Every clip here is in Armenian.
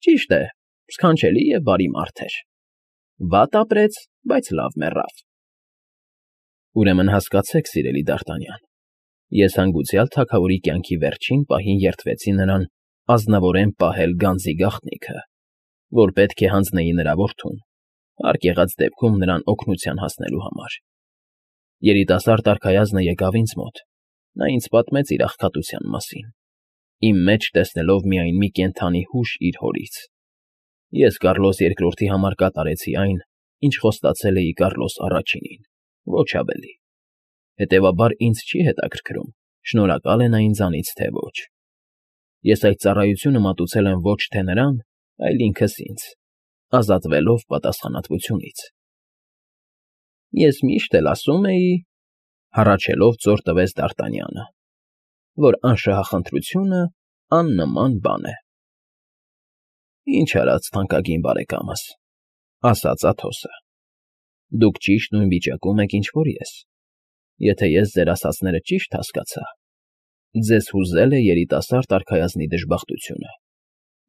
Ճիշտ է, սքանչելի և բարի մարդ էր։ Վատ ապրեց, բայց լավ մեռավ։ Ուրեմն հասկացեք, սիրելի Դ'Արտանյան, ես հանգուցյալ թագավորի կյանքի վերջին պահին երդվեցի նրան ազնվորեն պահել գանձի գաղտնիքը, որ պետք է հանձնեի նրա որդուն, հարկ եղած դեպքում նրան օգնության հասնելու համար։ Երիտասարդ արքայազնը եկավ ինձ մոտ, նա ինձ պատմեց իր աղքատության մասին, իմ մեջ տեսնելով միայն մի կենդանի հուշ իր հորից։ Ես Կառլոս II-ի համար կատարեցի այն, ինչ խոստացել էի Կառլոս առաջինին, ոչ ավելի։ Հետևաբար ինձ չի հետաքրքրում, շնորհակալ է նա ինձանից, թե ոչ։ Ես այդ ծառայությունը մատուցել եմ ոչ թե նրան, այլ ինքս ինձ, ազատվելով պատասխանատվությունից։ Ես միշտ էլ ասում էի, հառաչելով ծոր տվեց Դ'Արտանյանը, որ անշահախնդրությունը աննման բան է։ Ինչ արած, թանկագին բարեկամս, ասաց Աթոսը, դուք ճիշտ նույն վիճակում եք, ինչ որ ես։ Եթե ես ձեր ասածները ճիշտ հասկացա, ձեզ հուզել է երիտասարդ արքայազնի դժբախտությունը։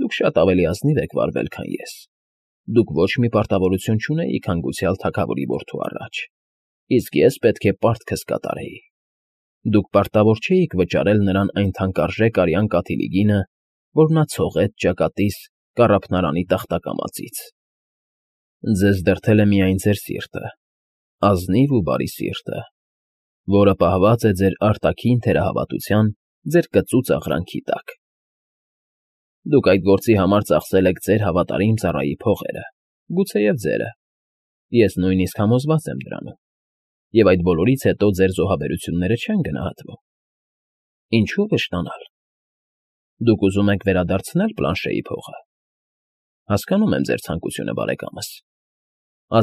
Դուք շատ ավելի ազնիվ եք վարվել, քան ես։ Դուք ոչ մի պարտավորություն չունեիք հանգուցյալ թագավորի որդու առաջ, իսկ ես պետք է պարտքս կատարեի։ Դուք պարտավոր չէիք վճարել նրան այն թանկարժեք արյան կաթիլի գինը, որ նա ցողեց ճակատիս կառափնարանի տախտակամածից։ Ձեզ դրդել է միայն ձեր սիրտը, ազնիվ ու բարի սիրտը, որը պահված է ձեր արտաքին թերահավատության, ձեր կծուծ աղրանքի տակ։ Դուք այդ գործի համար ծախսել եք ձեր հավատարիմ ծառայի փողերը, գուցեև ձերը։ Ես նույնիսկ համոզված եմ դրանում։ Եվ այդ բոլորից հետո ձեր զոհաբերությունները չեն գնահատվում։ Ինչու վշտանալ։ Դուք ուզում եք վերադարձնել Պլանշեի փողը։ Հասկանում եմ ձեր ցանկությունը, բարեկամս։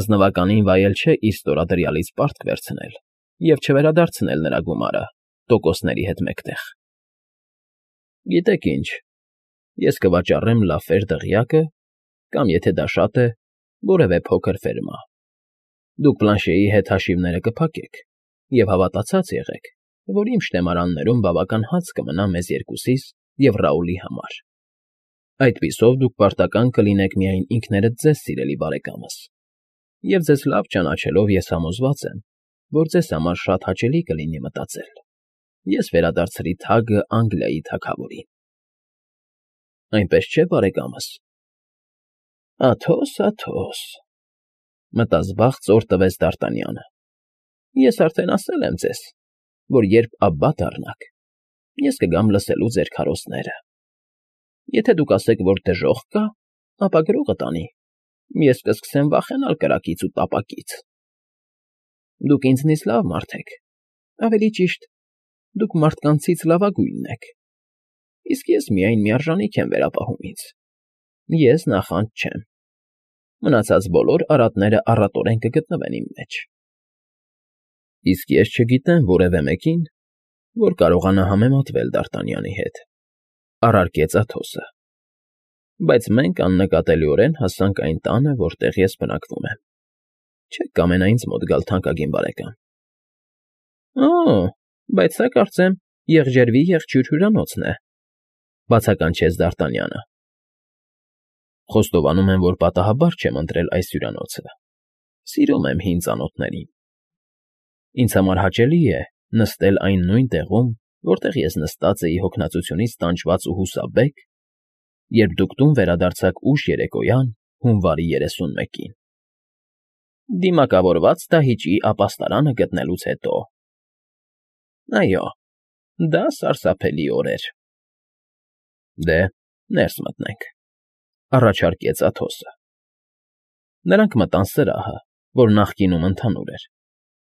Ազնվականին վայել չէ իր ստորադրյալից պարտք վերցնել և չվերադարձնել նրա գումարը տոկոսների հետ մեկտեղ։ Գիտեք ինչ, ես կվաճառեմ Լաֆեր դղյակը կամ, եթե դա շատ է, որևէ փոքր ֆերմա։ Դուք Պլանշեի հետ հաշիվները կփակեք և հավատացած եղեք, որ իմ շտեմարաններում բավական հաց կմնա մեզ երկուսիս և Ռաուլի համար։ Այդպիսով դուք պարտական կլինեք միայն ինքներդ ձեզ, սիրելի բարեկամս, և ձեզ լավ ճանաչելով ես համոզված եմ, որ ձեզ համար շատ հաճելի կլինի մտածել. ես վերադարձրի թագը Անգլիայի թագավորին։ Այնպես չէ, բարեկամս։ Աթոս, Աթոս, մտազբաղ ծոր տվեց Դ'Արտանյանը։ Ես արդեն ասել եմ ձեզ, որ երբ Աբբա դառնաք, ես կգամ լսելու ձեր քարոզները։ Եթե դուք ասեք, որ դժոխք կա, ապա գրողը տանի, ես կսկսեմ վախենալ կրակից ու տապակից։ Դուք ինձնից լավ մարդ եք, ավելի ճիշտ, դուք մարդկանցից լավագույնն եք, իսկ ես միայն միարժանիք եմ վերապահում ինձ։ Ես նախանձ չեմ։ Մնացած բոլոր արատները առատորեն կգտնվեն իմ մեջ։ Իսկ ես չգիտեմ որևէ մեկին, որ կարողանա համեմատվել Դ'Արտանյանի հետ, առարկեց Աթոսը։ Բայց մենք աննկատելիորեն հասանք այն տանը, որտեղ ես բնակվում եմ։ Չեք կամենա ինձ մոտ գալ, թանկագին բարեկամ։ Օ, բայց սա կարծեմ եղջերվի եղջյուր հյուրանոցն է, բացականչեց Դ'Արտանյանը։ Խոստովանում եմ, որ պատահաբար չեմ ընտրել այս հյուրանոցը։ Սիրում եմ հին ծանոթներին։ Ինձ համար հաճելի է նստել այն նույն տեղում, որտեղ ես նստած էի հոգնածությունից տանջված ու հուսաբեկ, երբ դուք տուն վերադարձաք ուշ երեկոյան հունվարի 31-ին։ Դիմակավորված դահիճի ապաստարանը գտնելուց հետո։ Այո, դա սարսափելի օր էր։ Դե, ներս մտնենք, առաջարկեց Աթոսը։ Նրանք մտան սրահը, որ նախկինում ընդհանուր էր։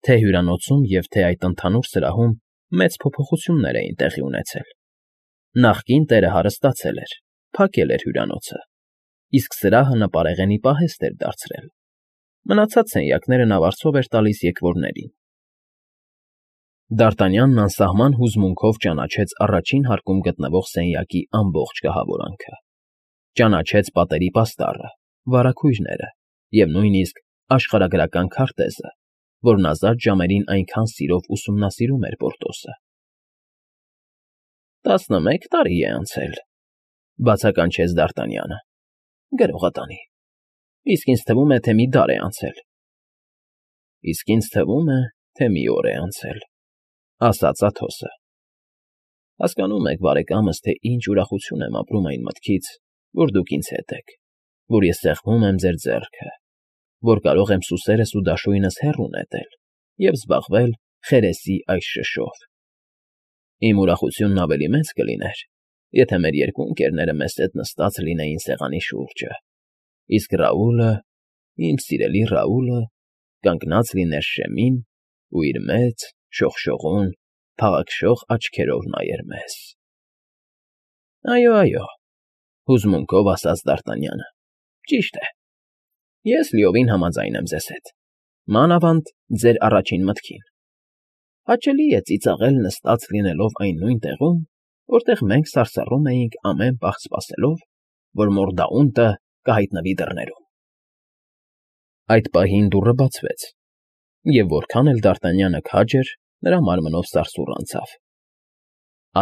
Թե հյուրանոցում և թե այդ ընդհանուր սրահում մեծ փոփոխություններ էին տեղի ունեցել։ Նախկին տերը հարստացել էր, փակել էր հյուրանոցը, իսկ սրահը նպարեղենի պահեստ էր դարձրել։ Մնացած սենյակները նա վարձով էր տալիս եկվորներին։ Դ'Արտանյանն անսահման հուզմունքով ճանաչեց առաջին հարկում գտնվող սենյակի ամբողջ կահավորանքը։ Ճանաչեց պատերի պաստառը, վարագույրները և նույնիսկ աշխարհագրական քարտեզը, որն ազատ ժամերին այնքան սիրով ուսումնասիրում էր Պորտոսը։ 11 տարի է անցել, բացականչեց Դ'Արտանյանը։ գրողը տանի։ Իսկ ինձ թվում է, թե մի դար է անցել։ Իսկ ինձ թվում է, թե մի օր է անցել, ասաց Աթոսը։ Հասկանում եք, բարեկամս, թե ինչ ուրախություն եմ ապրում այն մտքից, որ դուք ինձ հետ եք, որ ես սեղմում եմ ձեր ձեռքը, որ կարող եմ սուսերս ու դաշույնս հեռու նետել և զբաղվել խերեսի այս շշով։ Իմ ուրախությունն ավելի մեծ կլիներ, եթե մեր երկու ընկերները մեզ հետ նստած լինեին սեղանի շուրջը, իսկ Ռաուլը, իմ սիրելի Ռաուլը, կանգնած լիներ շեմին ու իր մեծ, շողշողուն, փաղաքշող աչքերով նայեր մեզ։ Այո, հուզմունքով ասաց Դ'Արտանյանը, ճիշտ է։ Ես լիովին համաձայն եմ ձեզ հետ, մանավանդ ձեր առաջին մտքին։ Հաճելի է ծիծաղել նստած լինելով այն նույն տեղում, որտեղ մենք սարսռում էինք ամեն պահ սպասելով, որ Մորդաունտը կհայտնվի դռներում։ Այդ պահին դուռը բացվեց, և որքան էլ Դ'Արտանյանը քաջ էր, նրա մարմնով սարսուռ անցավ։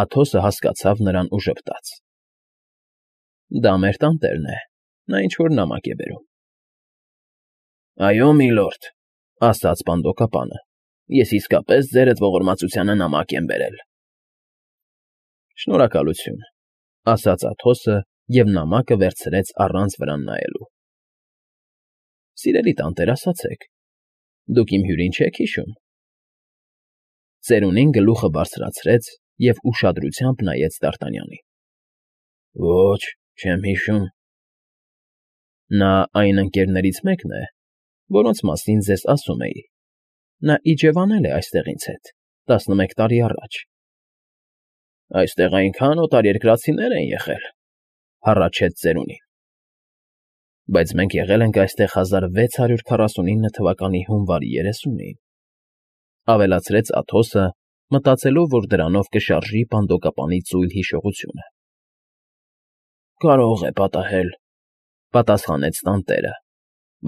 Աթոսը հասկացավ նրան ու ժպտաց. Դա մեր տանտերն է, նա ինչ֊որ նամակ է բերում։ Այո, միլորդ, ասաց պանդոկապանը, ես իսկապես ձերդ ողորմածությանը նամակ եմ բերել։ Շնորհակալություն, ասաց Աթոսը և նամակը վերցրեց առանց վրան նայելու։ Սիրելի տանտեր, ասացեք, դուք իմ հյուրին չեք հիշում։ Ծերունին գլուխը բարձրացրեց և ուշադրությամբ նայեց Դ'Արտանյանին։ Ոչ, չեմ հիշում։ Նա այն ընկերներից մեկն է, որոնց մասին ձեզ ասում էի։ Նա իջևանել է այստեղ ինձ հետ 11 տարի առաջ։ Այստեղ այնքան օտարերկրացիներ են եղել, հառաչեց ծերունին։ Բայց մենք եղել ենք այստեղ 1649 թվականի հունվարի 30-ին, ավելացրեց Աթոսը, մտածելով, որ դրանով կշարժի պանդոկապանի ծույլ հիշողությունը։ Կարող է պատահել, պատասխանեց տանտերը,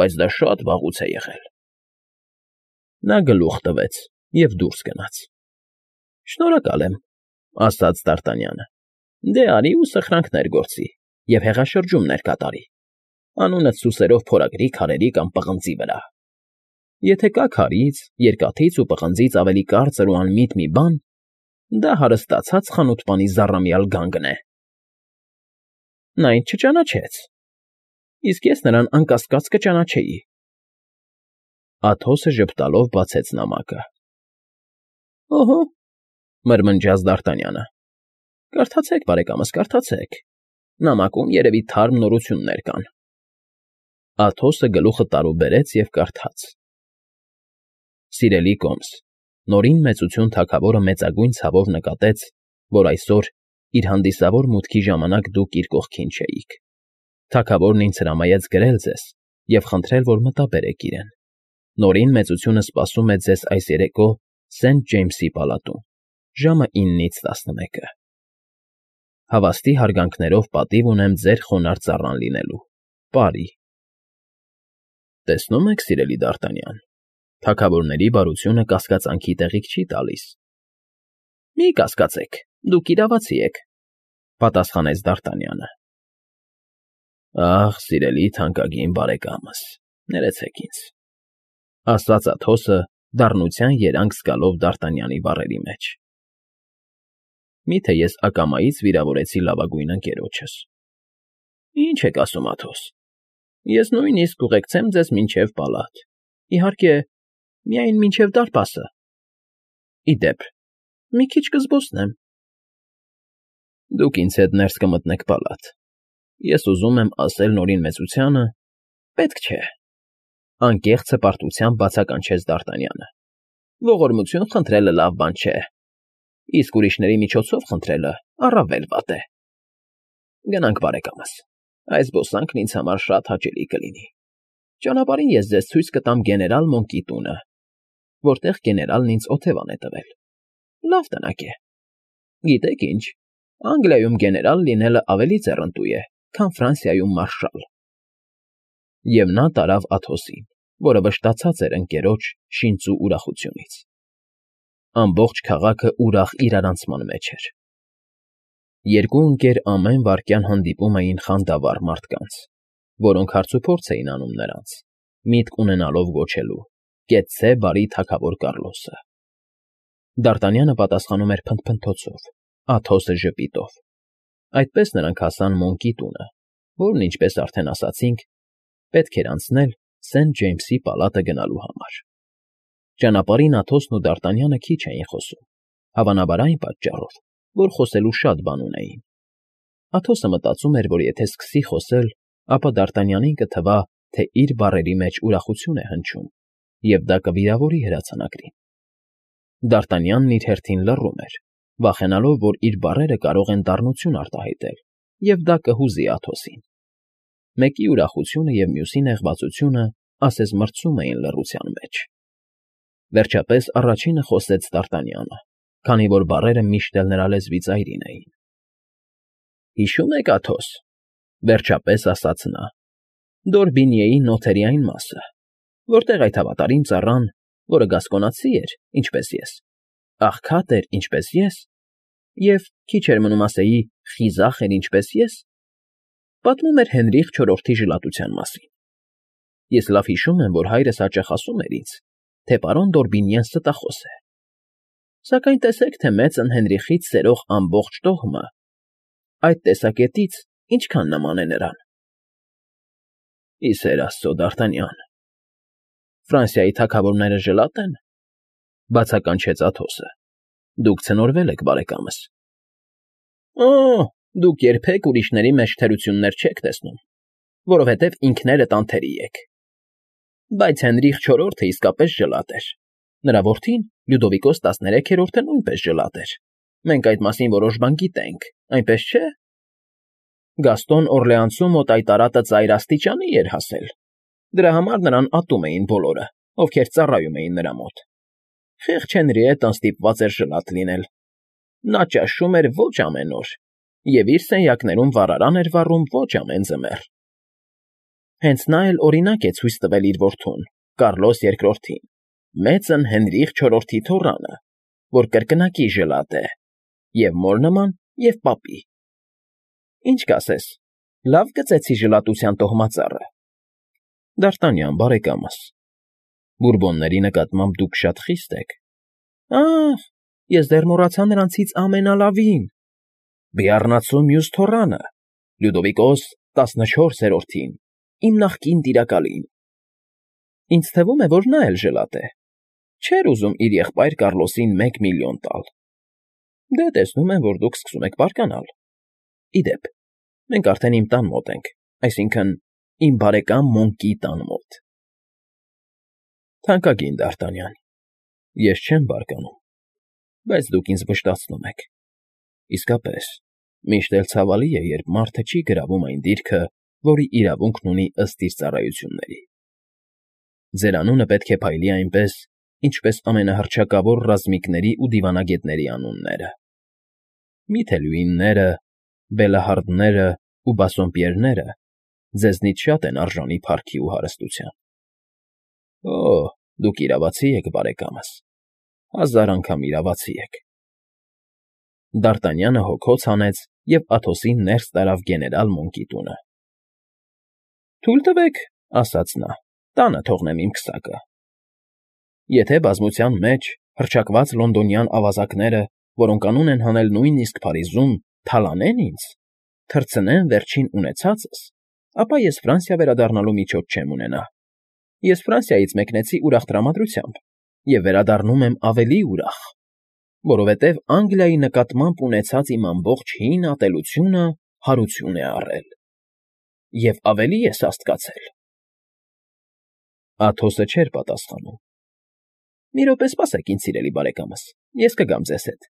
բայց դա շատ վաղուց է եղել։ Նա գլուխ տվեց և դուրս գնաց։ Շնորհակալ եմ, ասաց Դ'Արտանյանը։ Դե արի ու սխրանքներ գործի և հեղաշրջումներ կատարի, անունդ սուսերով փորագրի քարերի կամ պղնձի վրա։ Եթե կա քարից, երկաթից ու պղնձից ավելի կարծր ու անմիտ մի բան, դա հարստացած խանութպանի զառամյալ գանգն է։ Նա ինձ չճանաչեց, իսկ ես նրան անկասկած կճանաչեի։ Աթոսը ժպտալով բացեց նամակը։ Օհո, մրմնջաց Դ'Արտանյանը։ Կարդացեք, բարեկամս, կարդացեք։ Նամակում երևի թարմ նորություններ կան։ Աթոսը գլուխը տարուբերեց և կարդաց. Սիրելի Կոմս, Նորին մեծություն թագավորը մեծագույն ցավով նկատեց, որ այսօր իր հանդիսավոր մուտքի ժամանակ դուք իր կողքին չէիք։ Թագավորն ինձ հրամայեց գրել ձեզ և խնդրել, որ մտաբերեք իրեն։ Նորին մեծությունը սպասում է ձեզ այս երեկո Սենթ Ջեյմսի պալատում, ժամը 9-ից 11-ը։ Հավաստի հարգանքներով պատիվ ունեմ ձեր խոնարհ ծառան լինելու։ Պարի։ Տեսնում եք, սիրելի Դ'Արտանյան, թագավորների բարությունը կասկածանքի տեղիք չի տալիս։ Մի կասկածեք, դուք իրավացի եք, պատասխանեց Դ'Արտանյանը։ Ախ, սիրելի թանկագին բարեկամս, ներեցեք ինձ, ասաց Աթոսը դառնության երանգ զգալով Դ'Արտանյանի բառերի մեջ։ Միթե ես ակամայից վիրավորեցի լավագույն ընկերոջս։ Ինչ եք ասում, Աթոս։ Ես նույնիսկ կուղեկցեմ ձեզ մինչև պալատ։ Իհարկե, միայն մինչև դարպասը։ Ի դեպ, մի քիչ կզբոսնեմ։ Դուք ինձ հետ ներս կմտնեք պալատ։ Ես ուզում եմ ասել Նորին մեծությանը… Պետք չէ, անկեղծ հպարտությամբ բացականչեց Դ'Արտանյանը։ Ողորմություն խնդրելը լավ բան չէ, իսկ ուրիշների միջոցով խնդրելը առավել վատ է։ Գնանք, բարեկամս, այս զբոսանքն ինձ համար շատ հաճելի կլինի։ Ճանապարհին ես ձեզ ցույց կտամ գեներալ Մոնկի տունը, որտեղ գեներալն ինձ օթևան է տվել։ Լավ տնակ է։ Գիտեք ինչ, Անգլիայում գեներալ լինելը ավելի ձեռնտու է, քան Ֆրանսիայում մարշալ։ Եվ նա տարավ Աթոսին, որը վշտացած էր ընկերոջ շինծու ուրախությունից։ Ամբողջ քաղաքը ուրախ իրարանցման մեջ էր։ Երկու ընկեր ամեն վայրկյան հանդիպում էին խանդավառ մարդկանց, որոնք հարցուփորձ էին անում նրանց, միտք ունենալով գոչելու. «Կեցցե, բարի թագավոր Կառլոսը»։ Դարտանյանը պատասխանում էր փնթփնթոցով, Աթոսը ժպիտով։ Այդպես նրանք հասան Մոնկի տունը, որն, ինչպես արդեն ասացինք, պետք էր անցնել Սենթ Ջեյմսի պալատը գնալու համար։ Ճանապարհին Աթոսն ու Դարտանյանը քիչ էին խոսում, հավանաբար այն պատճառով, որ խոսելու շատ բան ունեին։ Աթոսը մտածում էր, որ եթե սկսի խոսել, ապա Դարտանյանին կթվա, թե իր բառերի մեջ ուրախություն է հնչում, և դա կվիրավորի հրացանակրին։ Դարտանյանն իր հերթին լռում էր, վախենալով, որ իր բառերը կարող են դառնություն արտահայտել, և դա կհուզի Աթոսին։ Մեկի ուրախությունը և մյուսի նեղվածությունը ասես մրցում էին լռության մեջ։ Վերջապես առաջինը խոսեց Դարտանյանը, քանի որ բառերը միշտ էլ նրա լեզվի ծայրին էին։ «Հիշո՞ւմ եք, Աթոս,֊ վերջապես ասաց նա,֊ Դորբինիեի նոթերի այն մասը, որտեղ այդ հավատարիմ ծառան, որը գասկոնացի էր, ինչպես ես, աղքատ էր, ինչպես ես, և, քիչ էր մնում ասեի, խիզախ էր, ինչպես ես, պատմում էր Հենրիխ IV-ի ժլատության մասին։ Ես լավ հիշում եմ, որ հայրս հաճախ ասում էր ինձ, թե պարոն Դորբինիեն ստախոս է։ Սակայն տեսեք, թե մեծն Հենրիխից սերող ամբողջ տոհմը այդ տեսակետից ինչքան նման է նրան»։ «Ի սեր Աստծո, Դարտանյան, Ֆրանսիայի թագավորները ժլատ են,֊ բացականչեց Աթոսը։֊ Դուք ցնորվել եք, բարեկամս։ Օ՜, դուք երբեք ուրիշների մեջ թերություններ չեք տեսնում, որովհետև ինքներդ անթերի եք։ Բայց Հենրիխ IV-ը իսկապես ժլատ էր։ Նրա որդին՝ Լյուդովիկոս 13-րդը նույնպես ժլատ էր։ Մենք այդ մասին որոշ բան գիտենք, այնպես չէ՞։ Գաստոն Օրլեանցում մոտ այդ արատը ծայր աստիճանի էր հասել։ Դրա համար նրան ատում էին բոլորը, ովքեր ծառայում էին նրա մոտ։ Խեղճ Հենրիետտն ստիպված էր ժլատ լինել։ Նա ճաշում էր ոչ ամեն օր և իր սենյակներում վառարան էր վառում ոչ ամեն ձմեռ։ Հենց նա էլ օրինակ է ցույց տվել իր որդուն՝ Կառլոս II-ին, մեծն Հենրիխ IV-ի թոռանը, որ կրկնակի ժլատ է, և մոր նման, և պապի։ Ինչ կասես, լավ գծեցի ժլատության տոհմածառը։ Դարտանյան, բարեկամս, Բուրբոնների նկատմամբ դուք շատ խիստ եք։ Ա՜խ, ես դեռ մոռացա նրանցից ամենալավին՝ բիառնացու մյուս թոռանը, Լյուդովիկոս 14-րդին, իմ նախկին տիրակալին։ Ինձ թվում է, որ նա էլ ժլատ է։ Չէր ուզում իր եղբայր Կառլոսին 1 միլիոն տալ։ Դե, տեսնում եմ, որ դուք սկսում եք բարկանալ։ Ի դեպ, մենք արդեն իմ տան մոտ ենք, այսինքն՝ իմ բարեկամ Մոնկի տան մոտ։ Թանկագին Դարտանյան, ես չեմ բարկանում, բայց դուք ինձ վշտացնում եք։ Իսկապես, միշտ էլ ցավալի է, երբ մարդը չի գրավում այն դիրքը, որի իրավունքն ունի ըստ իր ծառայությունների։ Ձեր անունը պետք է փայլի այնպես, ինչպես ամենահռչակավոր ռազմիկների ու դիվանագետների անունները։ Միթե Լյուինները, Բելահարդները ու Բասսոմպիերները ձեզնից շատ են արժանի փառքի ու հարստության։ Օ, դուք իրավացի եք, բարեկամս, 1000 անգամ իրավացի եք։ Դարտանյանը հոգոց հանեց և Աթոսին ներս տարավ գեներալ Մոնկի տունը։ Թույլ տվեք, ասաց նա, տանը թողնեմ իմ քսակը։ Եթե բազմության մեջ հռչակված լոնդոնյան ավազակները, որոնք անուն են հանել նույնիսկ Փարիզում, թալանեն ինձ, թռցնեն վերջին ունեցածս, ապա ես Ֆրանսիա վերադառնալու միջոց չեմ ունենա։ Ես Ֆրանսիայից մեկնեցի ուրախ տրամադրությամբ և վերադառնում եմ ավելի ուրախ, որովհետև Անգլիայի նկատմամբ ունեցած իմ ամբողջ հին ատելությունը հարություն է առել։ Եվ ավելի է սաստկացել։ Աթոսը չէր պատասխանում։ Մի րոպե սպասեք ինձ, սիրելի բարեկամս, ես կգամ ձեզ հետ։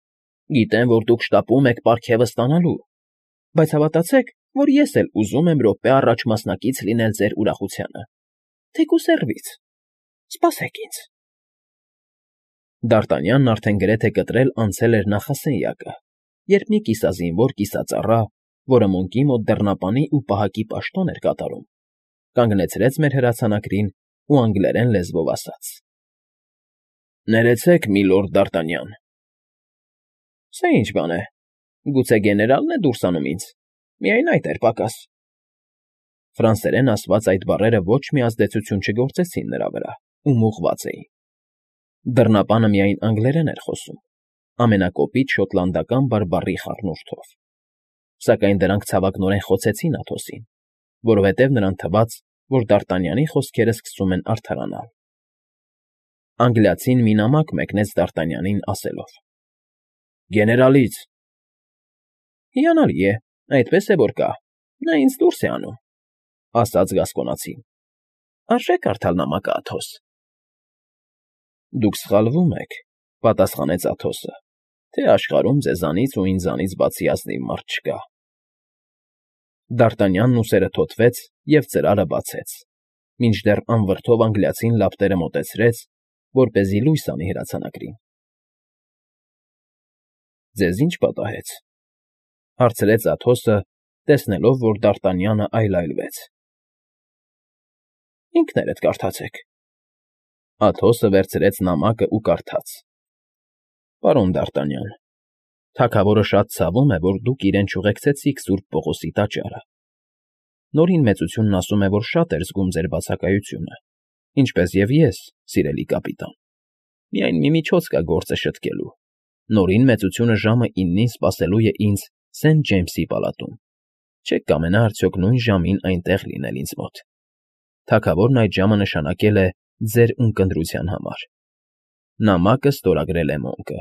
Գիտեմ, որ դուք շտապում եք պարգևը ստանալու, բայց հավատացեք, որ ես էլ ուզում եմ րոպե առաջ մասնակից լինել ձեր ուրախությանը, թեկուզ հեռվից։ Սպասեք ինձ։ Դարտանյանն արդեն գրեթե կտրել անցել էր նախասենյակը, երբ մի կիսազինվոր կիսածառա, որը Մոնկի մոտ դռնապանի ու պահակի պաշտոն էր կատարում, կանգնեցրեց մեր հրացանակրին ու անգլերեն լեզվով ասաց. Ներեցեք, միլորդ Դարտանյան։ Սա ինչ բան է, գուցե գեներալն է դուրս անում ինձ, միայն այդ էր պակաս։ Ֆրանսերեն ասված այդ բառերը ոչ մի ազդեցություն չգործեցին նրա վրա ու մուղված էին։ Դռնապանը միայն անգլերեն էր խոսում, ամենակոպիտ շոտլանդական բարբառի խառնուրդով, սակայն դրանք ցավակնորեն խոցեցին Աթոսին, որովհետև նրան թվաց, որ Դարտանյանի խոսքերը սկսում են արդարանալ։ Անգլիացին մի նամակ մեկնեց Դարտանյանին ասելով. «Գեներալից»։ «Հիանալի է, այդպես է որ կա, նա ինձ դուրս է անում», ասաց գասկոնացին։ «Արժե կարդալ նամակը, Աթոս»։ «Դուք սխալվում եք», պատասխանեց Աթոսը, «թե աշխարհում ձեզանից ու ինձանից բացի ազնիվ մարդ չկա»։ Դարտանյանն ուսերը թոթվեց և ծրարը բացեց, մինչդեռ անվրդով անգլիացին լապտերը մոտեցրեց, որպեսզի լույս անի հրացանակրին։ «Ձեզ ի՞նչ պատահեց», հարցրեց Աթոսը, տեսնելով, որ Դարտանյանը այլայլվեց։ «Ինքներդ կարդացեք»։ Աթոսը վերցրեց նամակը ու կարդաց. «Պարոն Դարտանյան, թագավորը շատ ցավում է, որ դուք իրեն չուղեկցեցիք Սուրբ Պողոսի տաճարը։ Նորին մեծությունն ասում է, որ շատ էր զգում ձեր բացակայությունը, ինչպես և ես, սիրելի կապիտան։ Միայն մի միջոց կա գործը շտկելու. Նորին մեծությունը ժամը 9-ին սպասելու է ինձ Սենթ Ջեյմսի պալատում։ Չե՞ք կամենա արդյոք նույն ժամին այնտեղ լինել ինձ մոտ։ Թագավորն այդ ժամը նշանակել է ձեր ունկնդրության համար»։ Նամակը ստորագրել է Մոնկը։